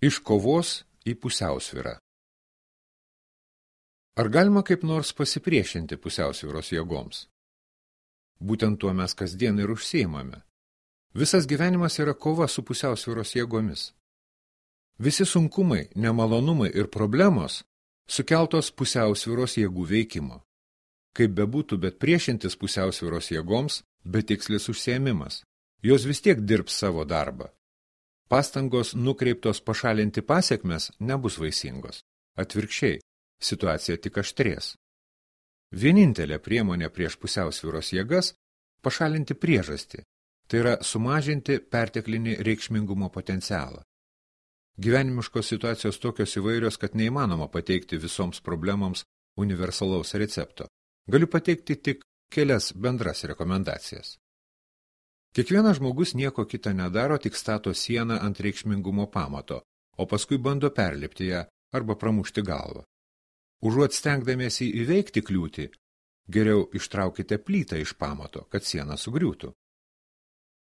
Iš kovos į pusiausvyrą. Ar galima kaip nors pasipriešinti pusiausvyros jėgoms? Būtent tuo mes kasdien ir užsiimame. Visas gyvenimas yra kova su pusiausvyros jėgomis. Visi sunkumai, nemalonumai ir problemos sukeltos pusiausvyros jėgų veikimo. Kaip bebūtų, bet priešintis pusiausvyros jėgoms betikslis užsiėmimas. Jos vis tiek dirbs savo darbą. Pastangos nukreiptos pašalinti pasekmes nebus vaisingos. Atvirkščiai, situacija tik aštrės. Vienintelė priemonė prieš pusiausvyros jėgas – pašalinti priežastį, tai yra sumažinti perteklinį reikšmingumo potencialą. Gyvenimiškos situacijos tokios įvairios, kad neįmanoma pateikti visoms problemams universalaus recepto. Galiu pateikti tik kelias bendras rekomendacijas. Kiekvienas žmogus nieko kita nedaro, tik stato sieną ant reikšmingumo pamato, o paskui bando perlipti ją arba pramušti galvą. Užuot stengdamiesi įveikti kliūtį, geriau ištraukite plytą iš pamato, kad siena sugriūtų.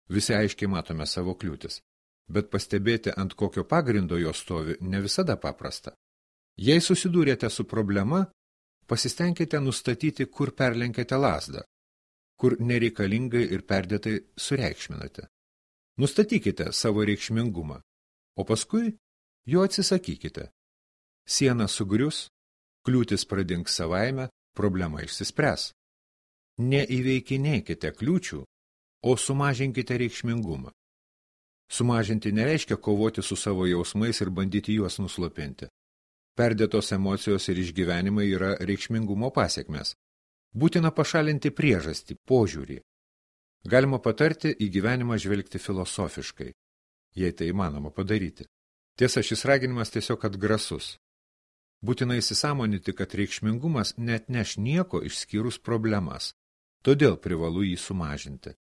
Visi aiškiai matome savo kliūtis, bet pastebėti, ant kokio pagrindo jos stovi, ne visada paprasta. Jei susidūrėte su problema, pasistengkite nustatyti, kur perlenkėte lazdą, kur nereikalingai ir perdėtai sureikšminate. Nustatykite savo reikšmingumą, o paskui jo atsisakykite. Siena sugrius, kliūtis pradings savaime, problema išsispręs. Neįveikinėkite kliūčių, o sumažinkite reikšmingumą. Sumažinti nereiškia kovoti su savo jausmais ir bandyti juos nuslopinti. Perdėtos emocijos ir išgyvenimai yra reikšmingumo pasekmės. Būtina pašalinti priežastį, požiūrį. Galima patarti į gyvenimą žvelgti filosofiškai, jei tai įmanoma padaryti. Tiesa, šis raginimas tiesiog atgrasus. Būtina įsisąmoninti, kad reikšmingumas neatneš nieko išskyrus problemas, todėl privalu jį sumažinti.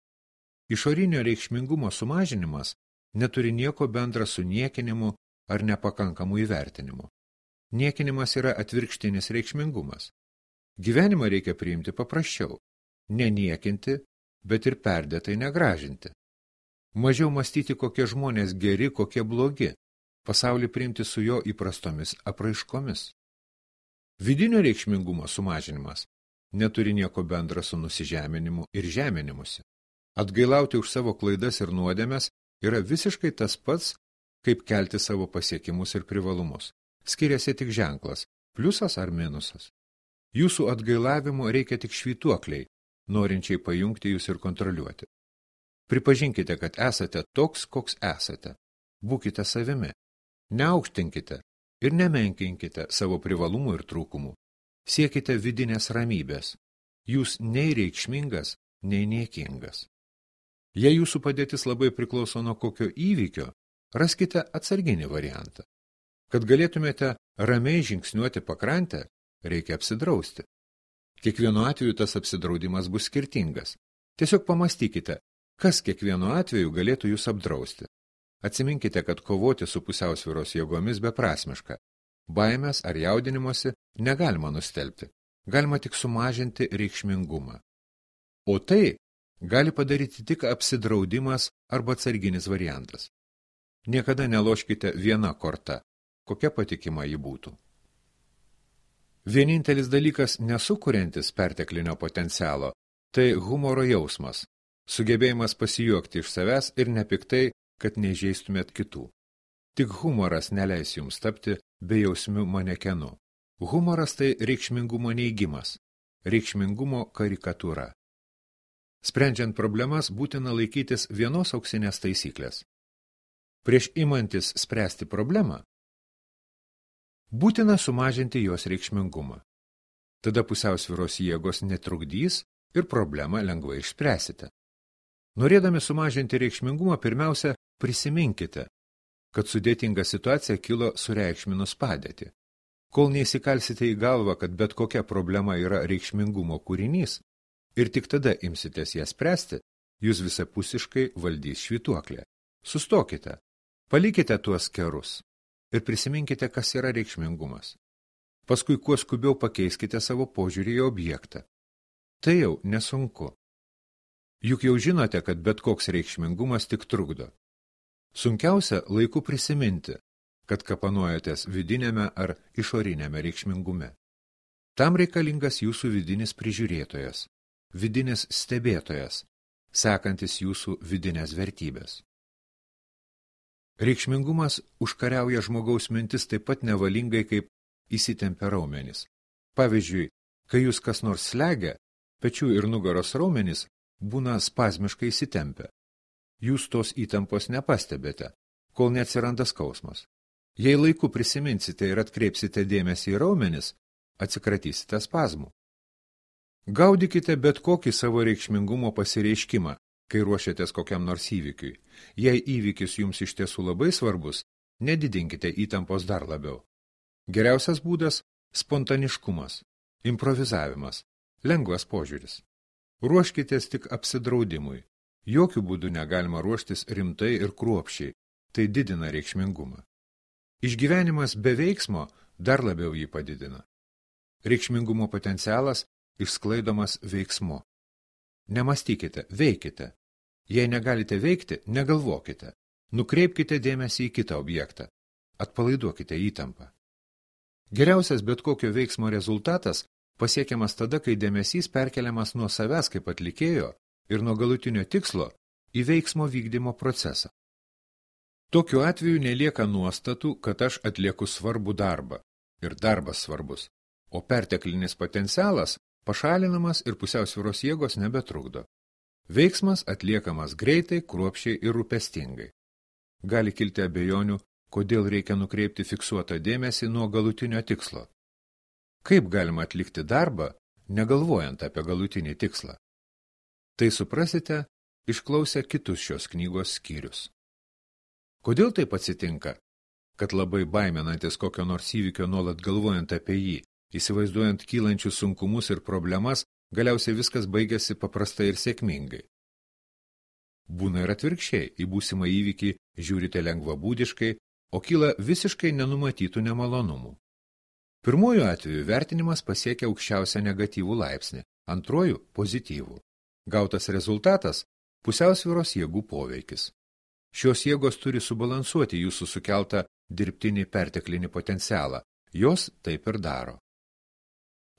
Išorinio reikšmingumo sumažinimas neturi nieko bendra su niekinimu ar nepakankamu įvertinimu. Niekinimas yra atvirkštinis reikšmingumas. Gyvenimą reikia priimti paprasčiau, neniekinti, bet ir perdėtai negražinti. Mažiau mąstyti, kokie žmonės geri, kokie blogi, pasaulį priimti su jo įprastomis apraiškomis. Vidinio reikšmingumo sumažinimas neturi nieko bendra su nusižeminimu ir žeminimusi. Atgailauti už savo klaidas ir nuodėmes yra visiškai tas pats, kaip kelti savo pasiekimus ir privalumus. Skiriasi tik ženklas, pliusas ar minusas. Jūsų atgailavimo reikia tik švytuokliai, norinčiai pajungti jūs ir kontroliuoti. Pripažinkite, kad esate toks, koks esate. Būkite savimi. Neaukštinkite ir nemenkinkite savo privalumų ir trūkumų. Siekite vidinės ramybės. Jūs nei reikšmingas, nei niekingas. Jei jūsų padėtis labai priklauso nuo kokio įvykio, raskite atsarginį variantą. Kad galėtumėte ramiai žingsniuoti pakrantę, reikia apsidrausti. Kiekvienu atveju tas apsidraudimas bus skirtingas. Tiesiog pamastykite, kas kiekvienu atveju galėtų jūs apdrausti. Atsiminkite, kad kovoti su pusiausvyros jėgomis beprasmiška. Baimės ar jaudinimosi negalima nustelbti. Galima tik sumažinti reikšmingumą. O tai gali padaryti tik apsidraudimas arba atsarginis variantas. Niekada neloškite viena korta, kokia patikima ji būtų. Vienintelis dalykas nesukuriantis perteklinio potencialo – tai humoro jausmas, sugebėjimas pasijuokti iš savęs ir nepiktai, kad neįžeistumėt kitų. Tik humoras neleis jums tapti bejausmiu manekenu. Humoras tai reikšmingumo neigimas, reikšmingumo karikatūra. Sprendžiant problemas būtina laikytis vienos auksinės taisyklės. Prieš imantis spręsti problemą, būtina sumažinti jos reikšmingumą. Tada pusiausvyros jėgos netrukdys ir problemą lengvai išspręsite. Norėdami sumažinti reikšmingumą, pirmiausia, prisiminkite, kad sudėtinga situacija kilo sureikšminus padėtį. Kol neįsikalsite į galvą, kad bet kokia problema yra reikšmingumo kūrinys, ir tik tada imsitės ją spręsti, jūs visapusiškai valdys švytuoklė. Sustokite, palikite tuos kerus. Ir prisiminkite, kas yra reikšmingumas. Paskui kuo skubiau pakeiskite savo požiūrį į objektą. Tai jau nesunku. Juk jau žinote, kad bet koks reikšmingumas tik trukdo. Sunkiausia laiku prisiminti, kad kapanojatės vidinėme ar išorinėme reikšmingume. Tam reikalingas jūsų vidinis prižiūrėtojas, vidinis stebėtojas, sekantis jūsų vidinės vertybės. Reikšmingumas užkariauja žmogaus mintis taip pat nevalingai, kaip įsitempia raumenys. Pavyzdžiui, kai jūs kas nors slegia, pečių ir nugaros raumenys būna spazmiškai įsitempę. Jūs tos įtampos nepastebėte, kol neatsiranda skausmas. Jei laiku prisiminsite ir atkreipsite dėmesį į raumenis, atsikratysite spazmų. Gaudykite bet kokį savo reikšmingumo pasireiškimą, kai ruošiatės kokiam nors įvykiui. Jei įvykis jums iš tiesų labai svarbus, nedidinkite įtampos dar labiau. Geriausias būdas – spontaniškumas, improvizavimas, lengvas požiūris. Ruoškitės tik apsidraudimui. Jokių būdų negalima ruoštis rimtai ir kruopščiai, tai didina reikšmingumą. Išgyvenimas be veiksmo dar labiau jį padidina. Reikšmingumo potencialas išsklaidomas veiksmu. Nemastykite, veikite. Jei negalite veikti, negalvokite. Nukreipkite dėmesį į kitą objektą. Atpalaiduokite įtampą. Geriausias bet kokio veiksmo rezultatas pasiekiamas tada, kai dėmesys perkeliamas nuo savęs kaip atlikėjo ir nuo galutinio tikslo į veiksmo vykdymo procesą. Tokiu atveju nelieka nuostatų, kad aš atlieku svarbų darbą ir darbas svarbus, o perteklinis potencialas pašalinamas ir pusiausvyros jėgos nebetrukdo. Veiksmas atliekamas greitai, kruopščiai ir rūpestingai. Gali kilti abejonių, kodėl reikia nukreipti fiksuotą dėmesį nuo galutinio tikslo. Kaip galima atlikti darbą, negalvojant apie galutinį tikslą? Tai suprasite, išklausę kitus šios knygos skyrius. Kodėl taip atsitinka, kad labai baiminantis kokio nors įvykio nuolat galvojant apie jį, įsivaizduojant kylančius sunkumus ir problemas, galiausiai viskas baigėsi paprastai ir sėkmingai? Būna ir atvirkščiai, į būsimą įvykį žiūrite lengvabūdiškai, o kyla visiškai nenumatytų nemalonumų. Pirmuoju atveju vertinimas pasiekia aukščiausią negatyvų laipsnį, antruoju – pozityvų. Gautas rezultatas – pusiausvyros jėgų poveikis. Šios jėgos turi subalansuoti jūsų sukeltą dirbtinį perteklinį potencialą. Jos taip ir daro.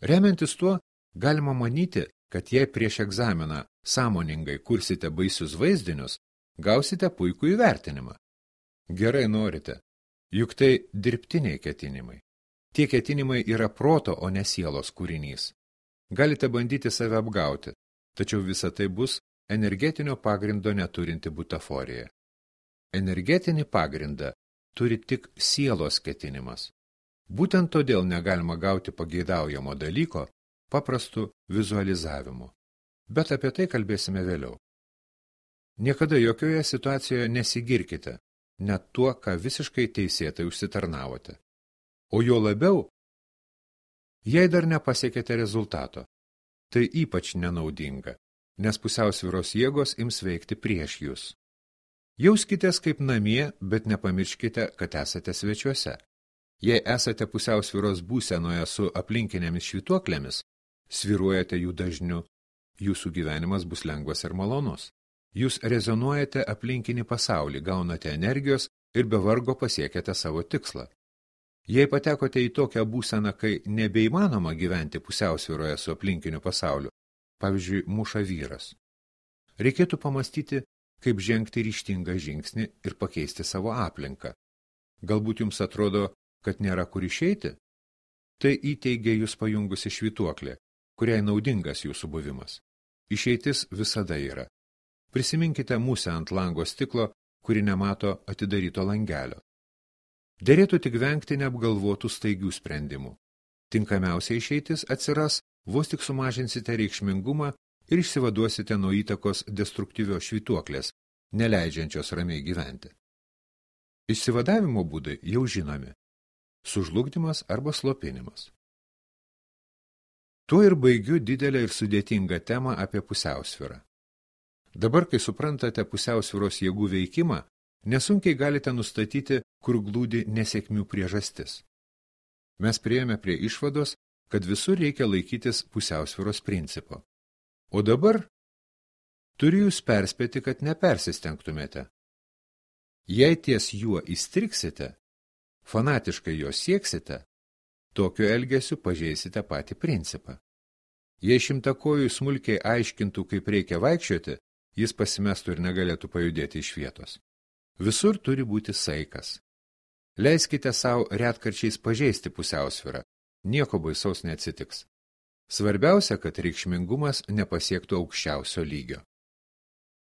Remiantis tuo, galima manyti, kad jei prieš egzaminą sąmoningai kursite baisius vaizdinius, gausite puikų įvertinimą. Gerai norite, juk tai dirbtiniai ketinimai. Tie ketinimai yra proto, o ne sielos kūrinys. Galite bandyti save apgauti, tačiau visa tai bus energetinio pagrindo neturinti butaforija. Energetinį pagrindą turi tik sielos ketinimas. Būtent todėl negalima gauti pageidaujamo dalyko paprastu vizualizavimu. Bet apie tai kalbėsime vėliau. Niekada jokioje situacijoje nesigirkite, net tuo, ką visiškai teisėtai užsitarnavote. O jo labiau, jei dar nepasiekėte rezultato, tai ypač nenaudinga, nes pusiausvyros jėgos ims veikti prieš jūs. Jauskitės kaip namie, bet nepamirškite, kad esate svečiuose. Jei esate pusiausvyros būsenoje su aplinkinėmis švytuoklėmis, svyruojate jų dažniu, jūsų gyvenimas bus lengvas ir malonus. Jūs rezonuojate aplinkinį pasaulį, gaunate energijos ir be vargo pasiekėte savo tikslą. Jei patekote į tokią būseną, kai nebeįmanoma gyventi pusiausvyroje su aplinkiniu pasauliu, pavyzdžiui, muša vyras, reikėtų pamastyti, kaip žengti ryžtingą žingsnį ir pakeisti savo aplinką. Galbūt jums atrodo, kad nėra kur išeiti? Tai įteigia jūs pajungusi švytuoklė, kuriai naudingas jūsų buvimas. Išeitis visada yra. Prisiminkite musę ant lango stiklo, kuri nemato atidaryto langelio. Derėtų tik vengti neapgalvotų staigių sprendimų. Tinkamiausia išeitis atsiras, vos tik sumažinsite reikšmingumą ir išsivaduosite nuo įtakos destruktyvios švytuoklės, neleidžiančios ramiai gyventi. Išsivadavimo būdai jau žinomi. Sužlugdymas arba slopinimas. Tuo ir baigiu didelę ir sudėtingą temą apie pusiausvyrą. Dabar, kai suprantate pusiausvyros jėgų veikimą, nesunkiai galite nustatyti, kur glūdi nesėkmių priežastis. Mes priėjome prie išvados, kad visur reikia laikytis pusiausvyros principo. O dabar turiu jūs perspėti, kad nepersistengtumėte. Jei ties juo įstriksite, fanatiškai jo sieksite, tokiu elgesiu pažeisite patį principą. Jei šimtakojui smulkiai aiškintų, kaip reikia vaikščioti, jis pasimestų ir negalėtų pajudėti iš vietos. Visur turi būti saikas. Leiskite savo retkarčiais pažeisti pusiausvyrą, nieko baisaus neatsitiks. Svarbiausia, kad reikšmingumas nepasiektų aukščiausio lygio.